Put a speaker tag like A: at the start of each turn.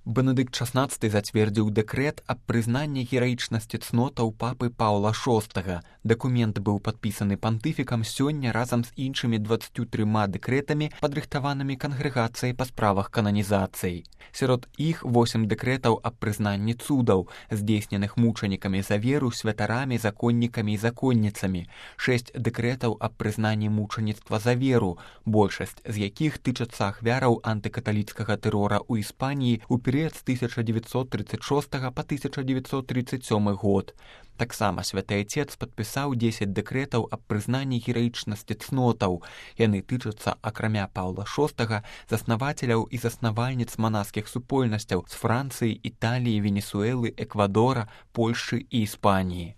A: Бенедыкт XVI зацвердзіў дэкрэт аб прызнанні гераічнасці цнотаў папы Паўла VI. Дакумент быў падпісаны пантыфікам сёння разам з іншымі 23 дэкрэтамі, падрыхтаванымі кангрэгацыяй па справах кананізацыі. Сярод іх 8 дэкрэтаў аб прызнанні цудаў, здзейсненых мучанікамі за веру, святарамі, законнікамі і законніцамі, 6 дэкрэтаў аб прызнанні мучаніцтва за веру, большасць з якіх тычацца ахвяраў антыкаталіцкага тэрора ў Іспаніі ў перыяд з 1936 па 1937 год. Таксама святы Айцец падпісаў 10 дэкрэтаў аб прызнанні гераічнасці цнотаў. Яны тычацца, акрамя Паўла VI, заснавацеляў і заснавальніц манаскіх супольнасцяў з Францыі, Італіі, Венесуэлы, Эквадора, Польшчы і Іспаніі.